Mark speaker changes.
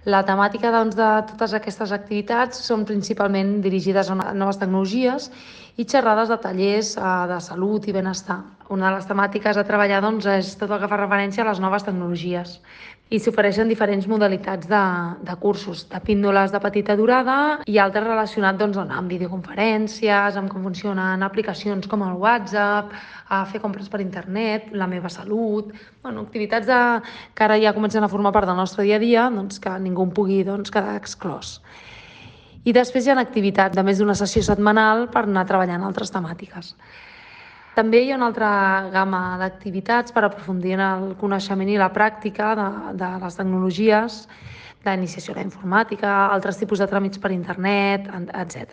Speaker 1: La temàtica de totes aquestes activitats són principalment dirigides a noves tecnologies i xerrades de tallers de salut i benestar. Una de les temàtiques a treballar és tot el que fa referència a les noves tecnologies i s'ofereixen diferents modalitats de cursos, de píndoles de petita durada i altres relacionats amb videoconferències, amb com funcionen aplicacions com el WhatsApp, a fer compres per internet, la meva salut, activitats que ara ja comencen a formar part del nostre dia a dia, que ningú en pugui quedar exclòs. I després hi ha activitats de més d'una sessió setmanal per anar treballant altres temàtiques. També hi ha una altra gamma d'activitats per aprofundir en el coneixement i la pràctica de les tecnologies, d'iniciació a la informàtica, altres tipus de tràmits per internet, etc.